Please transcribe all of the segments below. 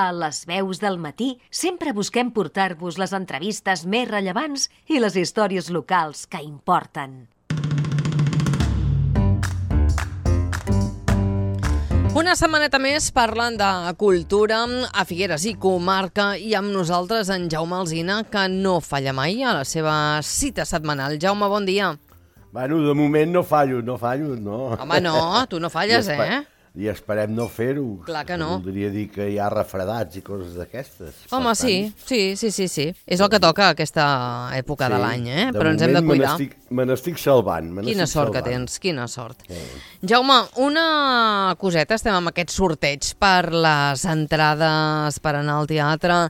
A les veus del matí sempre busquem portar-vos les entrevistes més rellevants i les històries locals que importen. Una setmaneta més parlant de cultura a Figueres i comarca i amb nosaltres en Jaume Alsina, que no falla mai a la seva cita setmanal. Jaume, bon dia. Bueno, de moment no fallo, no. Home, no, tu no falles, I esperem no fer-ho. Clar que no. Voldria dir que hi ha refredats i coses d'aquestes. Home, sí. És el que toca aquesta època de l'any, però ens hem de cuidar. Me n'estic salvant. Quina sort que tens, quina sort. Jaume, una coseta, estem amb aquest sorteig per les entrades per anar al teatre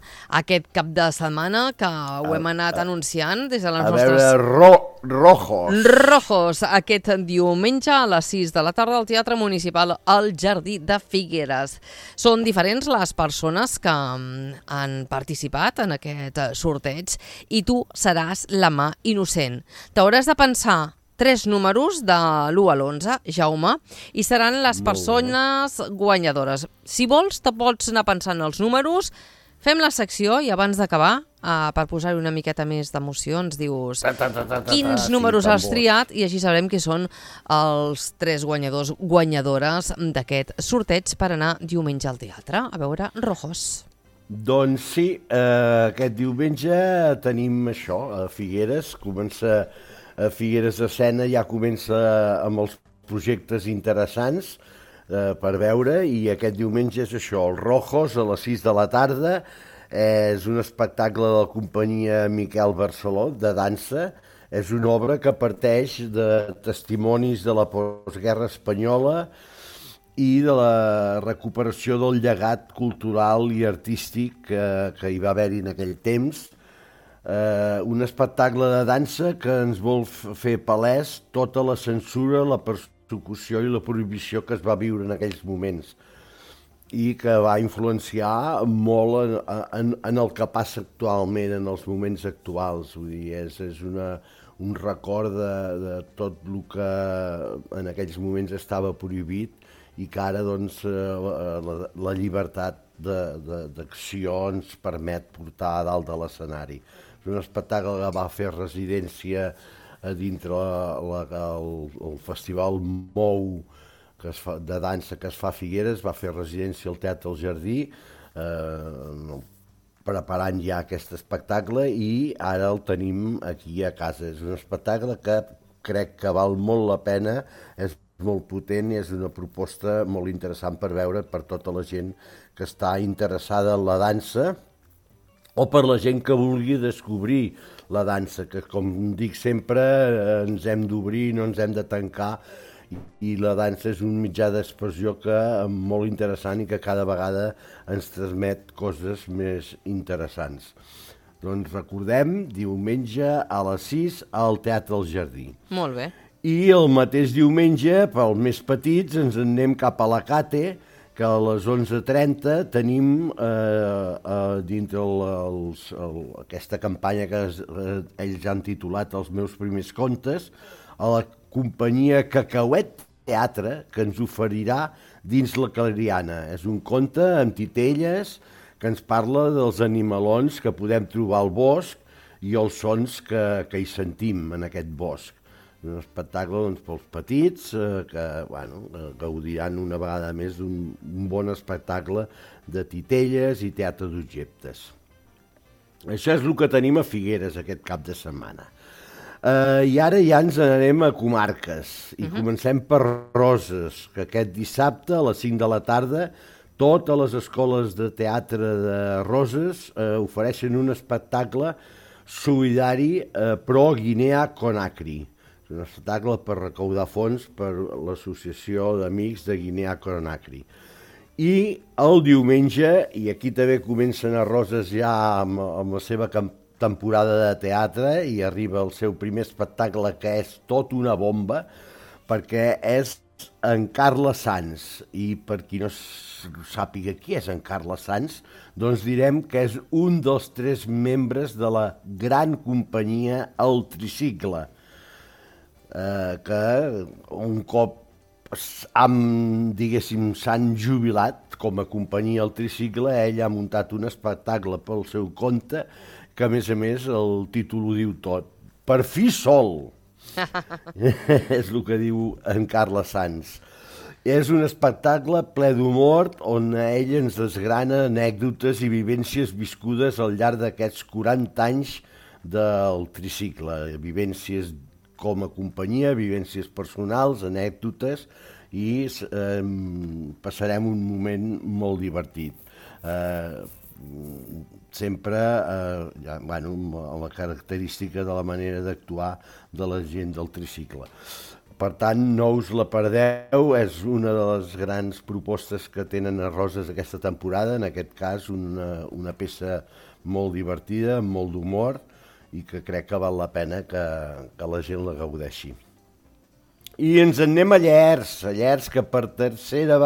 aquest cap de setmana, que ho hem anat anunciant des de les nostres... A veure, Rojos, aquest diumenge a les 6 de la tarda al Teatre Municipal al Jardí de Figueres. Són diferents les persones que han participat en aquest sorteig i tu seràs la mà innocent. T'hauràs de pensar 3 números de l'1 a l'11, Jaume, i seran les persones guanyadores. Si vols, te pots anar pensant els números. Fem la secció i abans d'acabar, per posar-hi una miqueta més d'emoció, ens dius quins números has triat i així sabrem qui són els 3 guanyadores d'aquest sorteig per anar diumenge al teatre a veure Rojos. Doncs sí, aquest diumenge tenim això, a Figueres. Comença a Figueres Escena, ja comença amb els projectes interessants per veure, i aquest diumenge és això, el Rojos, a les 6 de la tarda. És un espectacle de la companyia Miquel Barceló, de dansa. És una obra que parteix de testimonis de la postguerra espanyola i de la recuperació del llegat cultural i artístic que hi va haver-hi en aquell temps. Un espectacle de dansa que ens vol fer palès tota la censura, la persecució i la prohibició que es va viure en aquells moments i que va influenciar molt en el que passa actualment, en els moments actuals. Vull dir, és un record de tot el que en aquells moments estava prohibit i que ara doncs, la llibertat d'acció ens permet portar a dalt de l'escenari. És un espectacle que va fer residència a dintre el Festival MOU de dansa que es fa a Figueres, va fer residència al Teatre del Jardí, preparant ja aquest espectacle, i ara el tenim aquí a casa. És un espectacle que crec que val molt la pena, és molt potent i és una proposta molt interessant per veure per tota la gent que està interessada en la dansa o per la gent que vulgui descobrir la dansa, que com dic sempre ens hem d'obrir, no ens hem de tancar, i la dansa és un mitjà d'expressió molt interessant i que cada vegada ens transmet coses més interessants. Doncs recordem, diumenge a les 6 al Teatre del Jardí. Molt bé. I el mateix diumenge, pels més petits, ens en anem cap a la Cate, que a les 11:30 tenim dintre aquesta campanya que ells han titulat Els meus primers contes, a la companyia Cacauet Teatre, que ens oferirà Dins la Clariana. És un conte amb titelles que ens parla dels animalons que podem trobar al bosc i els sons que hi sentim en aquest bosc. Un espectacle doncs, pels petits que gaudiran una vegada més d'un bon espectacle de titelles i teatre d'objectes. Això és el que tenim a Figueres aquest cap de setmana. I ara ja ens n'anem a comarques i comencem per Roses, que aquest dissabte a les 5 de la tarda totes les escoles de teatre de Roses ofereixen un espectacle solidari pro Guinea Conakry. És un espectacle per recaudar fons per l'Associació d'Amics de Guinea Conakry. I el diumenge, i aquí també comencen a Roses ja amb la seva temporada de teatre, i arriba el seu primer espectacle, que és tot una bomba, perquè és en Carles Sans. I per qui no sàpiga qui és en Carles Sans, doncs direm que és un dels 3 membres de la gran companyia El Tricicle, que un cop diguéssim, s'han jubilat com a companyia al tricicle. Ell ha muntat un espectacle pel seu compte que, a més, el títol ho diu tot. Per fi sol! És el que diu en Carles Sans. És un espectacle ple d'humor on ell ens desgrana anècdotes i vivències viscudes al llarg d'aquests 40 anys del tricicle. Vivències com a companyia, vivències personals, anècdotes, i passarem un moment molt divertit. Sempre amb la característica de la manera d'actuar de la gent del tricicle. Per tant, no us la perdeu, és una de les grans propostes que tenen a Roses aquesta temporada, en aquest cas una peça molt divertida, amb molt d'humor, i que crec que val la pena que la gent la gaudeixi. I ens en anem a Llers, que per tercera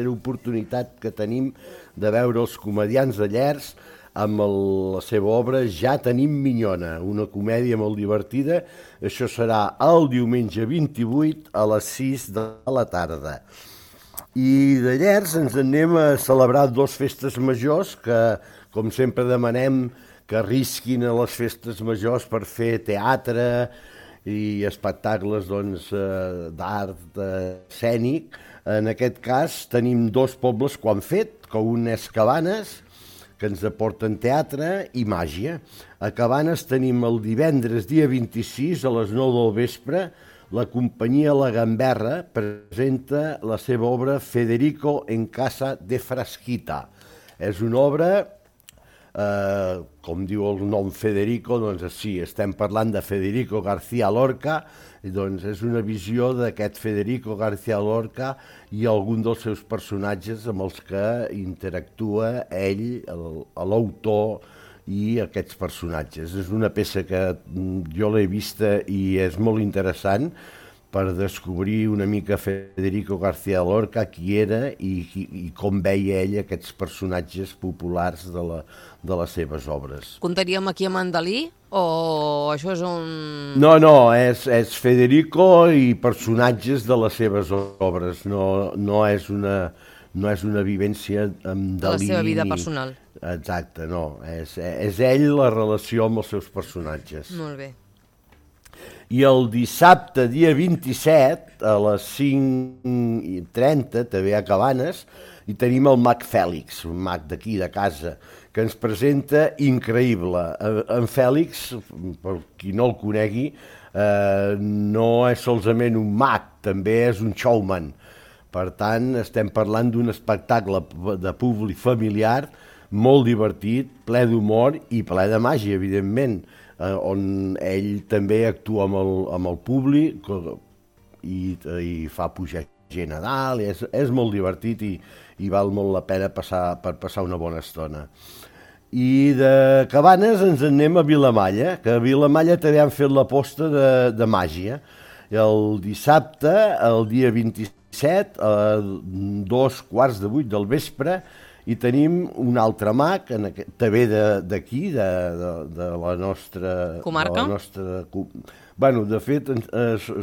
oportunitat que tenim de veure els comediants de Llers amb la seva obra Ja tenim minyona, una comèdia molt divertida. Això serà el diumenge 28 a les 6 de la tarda. I de Llers ens anem a celebrar 2 festes majors que, com sempre, demanem que arrisquin a les festes majors per fer teatre i espectacles d'art escènic. En aquest cas tenim 2 pobles que ho han fet, que un és Cabanes, que ens aporten teatre i màgia. A Cabanes tenim el divendres, dia 26, a les 9 del vespre, la companyia La Gamberra presenta la seva obra Federico en casa de Frasquita. És una obra, com diu el nom Federico, doncs sí, estem parlant de Federico García Lorca, i doncs és una visió d'aquest Federico García Lorca i algun dels seus personatges amb els que interactua ell, l'autor, i aquests personatges. És una peça que jo l'he vista i és molt interessant per descobrir una mica Federico García Lorca, qui era i com veia ell aquests personatges populars de les seves obres. Comptaríem aquí a Mandalí o això és un... No, és Federico i personatges de les seves obres, no és una vivència amb Dalí. De la seva vida personal. Exacte, no. És ell la relació amb els seus personatges. Molt bé. I el dissabte, dia 27, a les 5:30, també a Cabanes, hi tenim el mag Fèlix, un mag d'aquí, de casa, que ens presenta increïble. En Fèlix, per qui no el conegui, no és solament un mag, també és un showman. Per tant, estem parlant d'un espectacle de públic familiar molt divertit, ple d'humor i ple de màgia, evidentment, on ell també actua amb el públic i fa pujar gent a dalt. És molt divertit i val molt la pena per passar una bona estona. I de Cabanes ens anem a Vilamalla, que a Vilamalla també han fet l'aposta de màgia. El dissabte, el dia 27, a 2:15 del vespre, i tenim un altre mag, també d'aquí, de la nostra... Comarca? Bueno, de fet,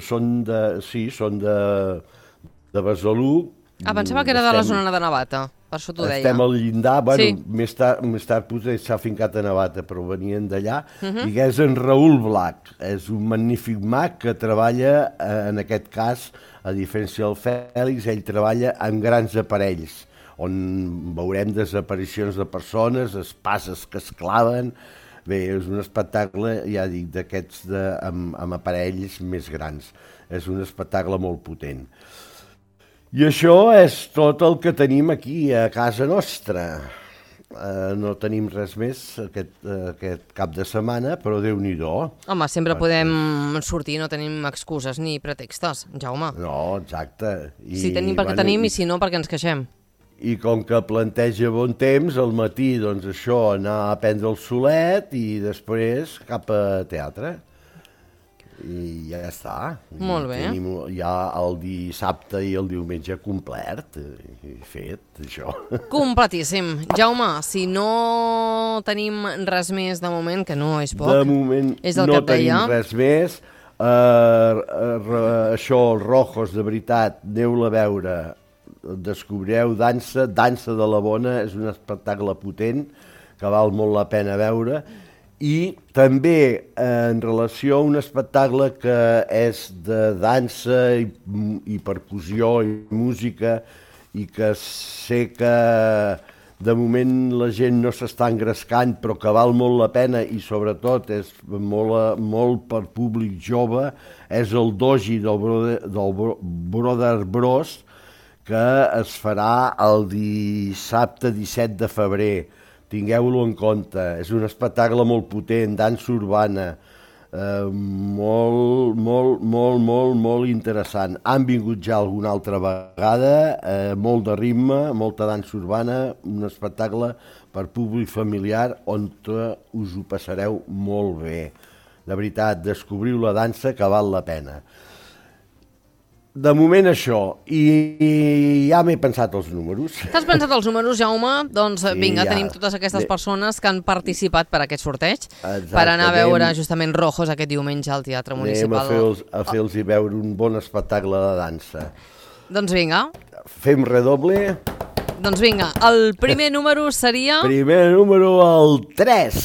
són de Besalú. Pensava que era de la zona de Navata, per això t'ho deia. Estem al llindar, bueno, sí. Més tard potser s'ha fincat a Navata, però venien d'allà, i que és en Raül Blac. És un magnífic mag que treballa, en aquest cas, a diferència del Fèlix, ell treballa amb grans aparells, on veurem desaparicions de persones, espases que es claven. Bé, és un espectacle, ja dic, d'aquests amb aparells més grans. És un espectacle molt potent. I això és tot el que tenim aquí a casa nostra. No tenim res més aquest cap de setmana, però Déu-n'hi-do. Home, sempre podem sortir, no tenim excuses ni pretextes, Jaume. No, exacte. Si tenim perquè tenim i si no perquè ens queixem. I com que planteja bon temps, al matí, doncs això, anar a prendre el solet i després cap a teatre. I ja està. Molt bé. Tenim ja el dissabte i el diumenge complet, fet, això. Completíssim. Jaume, si no tenim res més de moment, que no és poc, de moment és el no que et deia. tenim res més. Això, els Rojos, de veritat, aneu-la a veure, descobrireu dansa de la bona, és un espectacle potent que val molt la pena veure, i també en relació a un espectacle que és de dansa i percussió i música, i que sé que de moment la gent no s'està engrescant, però que val molt la pena i sobretot és molt per públic jove, és el doji del Brother Bros, que es farà el dissabte 17 de febrer. Tingueu-lo en compte. És un espectacle molt potent, dansa urbana, molt interessant. Han vingut ja alguna altra vegada, molt de ritme, molta dansa urbana, un espectacle per públic familiar on us ho passareu molt bé. De veritat, descobriu la dansa que val la pena. De moment això, i ja m'he pensat els números. T'has pensat els números, Jaume? Doncs vinga, tenim totes aquestes persones que han participat per aquest sorteig, per anar a veure justament Rojos aquest diumenge al Teatre Municipal. Anem a fer-los veure un bon espectacle de dansa. Doncs vinga. Fem redoble. Doncs vinga, el primer número seria... Primer número, el 3.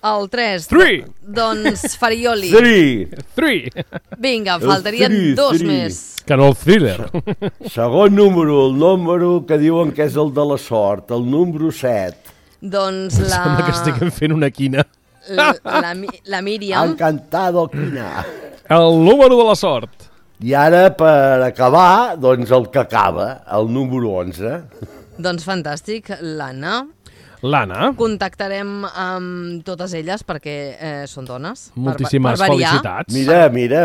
El 3. 3. Doncs Farioli. 3. Vinga, faltarien 2 més. Que no el thriller. Segon número, el número que diuen que és el de la sort, el número 7. Doncs Sembla que estiguem fent una quina. La Míriam. Encantado, quina. El número de la sort. I ara, per acabar, doncs el que acaba, el número 11. Doncs fantàstic, l'Anna. L'Anna. Contactarem amb totes elles perquè són dones. Moltíssimes per variar. felicitats. Mira,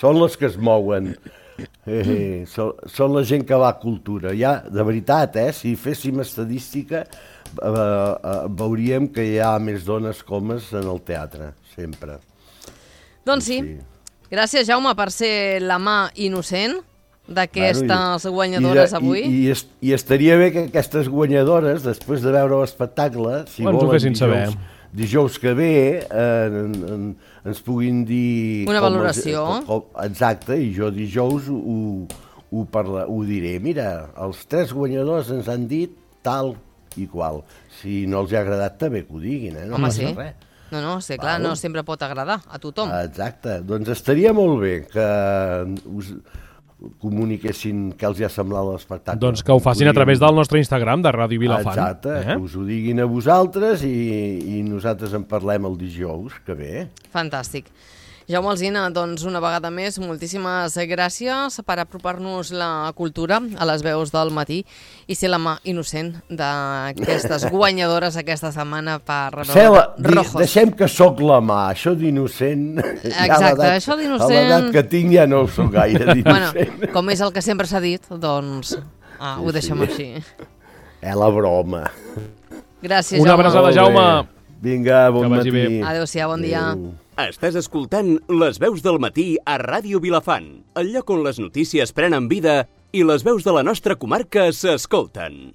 són les que es mouen. Són la gent que va a cultura. Ja, de veritat, si féssim estadística, veuríem que hi ha més dones que homes en el teatre, sempre. Doncs sí. Gràcies, Jaume, per ser la mà innocent d'aquestes guanyadores avui. I estaria bé que aquestes guanyadores, després de veure l'espectacle, si volen dijous que ve, ens puguin dir... Una valoració. Exacte, i jo dijous ho diré. Mira, els 3 guanyadors ens han dit tal i qual. Si no els ha agradat, també que ho diguin, no passa res. No, sí, clar, no sempre pot agradar a tothom. Exacte, doncs estaria molt bé que us comuniquessin què els ha semblat l'espectacle. Doncs que ho facin a través del nostre Instagram de Ràdio Vilafant. Exacte, que us ho diguin a vosaltres i nosaltres en parlem el dijous que ve. Fantàstic. Jaume Alsina, doncs una vegada més, moltíssimes gràcies per apropar-nos la cultura a les veus del matí i ser la mà innocent d'aquestes guanyadores aquesta setmana per Rojos. Deixem que sóc la mà, això d'innocent... Exacte, això d'innocent... A l'edat que tinc ja no ho sóc gaire d'innocent. Bueno, com és el que sempre s'ha dit, doncs ho deixem així. La broma. Gràcies, Jaume. Una abraçada, Jaume. Vinga, bon matí. Adéu-siau, bon dia. Estàs escoltant Les veus del matí a Ràdio Vilafant, el lloc on les notícies prenen vida i les veus de la nostra comarca s'escolten.